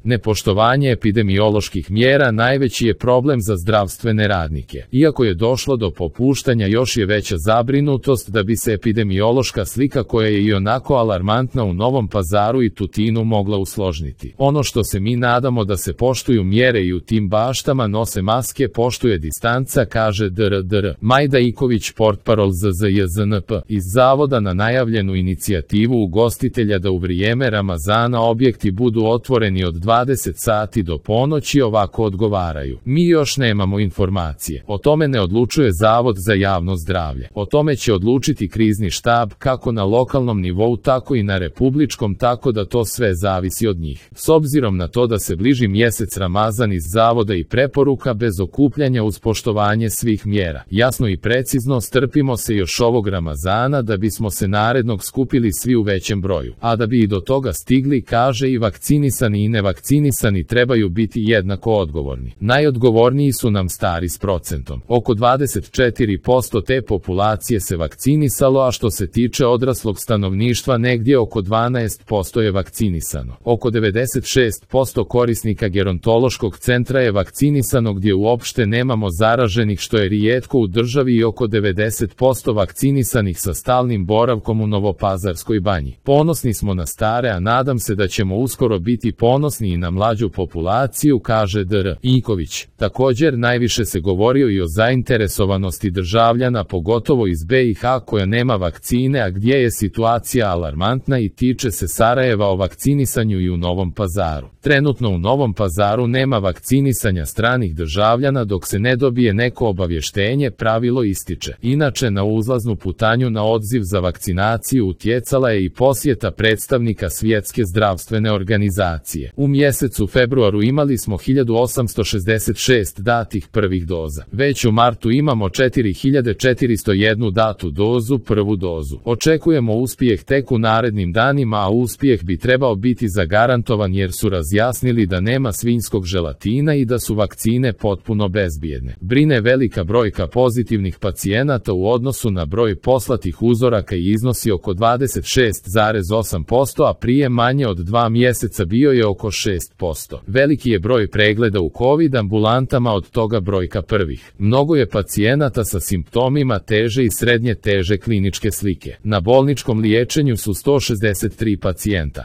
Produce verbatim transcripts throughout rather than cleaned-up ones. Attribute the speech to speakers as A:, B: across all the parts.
A: Nepoštovanje epidemioloških mjera najveći je problem za zdravstvene radnike. Iako je došlo do popuštanja, još je veća zabrinutost da bi se epidemiološka slika, koja je i onako alarmantna u Novom Pazaru i Tutinu, mogla usložniti. Ono što se mi nadamo da se poštuju mjere i u tim baštama nose maske, poštuje distanca, kaže dr dr Majda Iković, portparol Z Z J Z N P, iz Zavoda na najavljenu inicijativu ugostitelja da u vrijeme Ramazana objekti budu otvoreni od dvadeset sati do ponoći. Ovako odgovaraju: mi još nemamo informacije. O tome ne odlučuje Zavod za javno zdravlje. O tome će odlučiti krizni štab, kako na lokalnom nivou tako i na republičkom, tako da to sve zavisi od njih. S obzirom na to da se bliži mjesec Ramazan, iz Zavoda i preporuka bez okupljanja uz poštovanje svih mjera. Jasno i precizno, strpimo se još ovog Ramazana da bismo se narednog skupili svi u većem broju. A da bi i do toga stigli, kaže, i vakcinisani i nevakcinisani trebaju biti jednako odgovorni. Najodgovorniji su nam stari s procentom. Oko dvadeset četiri posto te populacije se vakcinisalo, a što se tiče odraslog stanovništva negdje oko dvanaest posto je vakcinisano. Oko devedeset šest posto korisnika gerontološkog centra je vakcinisano, gdje uopšte nemamo zaraženih, što je rijetko u državi, i oko devedeset posto vakcinisanih sa stalnim boravkom u Novopazarskoj banji. Ponosni smo na stare, a nadam se da ćemo uskoro biti ponosni i na mlađu populaciju, kaže dr Iković. Također, najviše se govorio i o zainteresovanosti državljana, pogotovo iz B i H, koja nema vakcine, a gdje je situacija alarmantna i tiče se Sarajeva, o vakcinisanju i u Novom Pazaru. Trenutno u Novom Pazaru nema vakcinisanja stranih državljana dok se ne dobije neko obavještenje, pravilo ističe. Inače, na uzlaznu putanju na odziv za vakcinaciju utjecala je i posjeta predstavnika Svjetske zdravstvene organizacije. U mjesecu februaru imali smo hiljadu osamsto šezdeset šest datih prvih doza. Već u martu imamo četiri hiljade četiristo jednu datu dozu, prvu dozu. Očekujemo uspjeh tek u narednim danima, a uspjeh bi trebao biti zagarantovan jer su razjasnili da nema svinjskog želatina i da su vakcine potpuno bezbjedne. Brine velika brojka pozitivnih pacijenata u odnosu na broj poslatih uzoraka i iznosi oko dvadeset šest zarez osam posto, a prije manje od dva mjeseca bio je oko šest posto. Veliki je broj pregleda u COVID ambulantama, od toga brojka prvih. Mnogo je pacijenata sa simptomima teže i srednje teže kliničke slike. Na bolničkom liječenju su sto šezdeset tri pacijenta.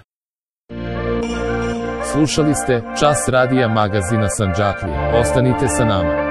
A: Slušali ste Čas radija magazina Sandžaklije. Ostanite sa nama.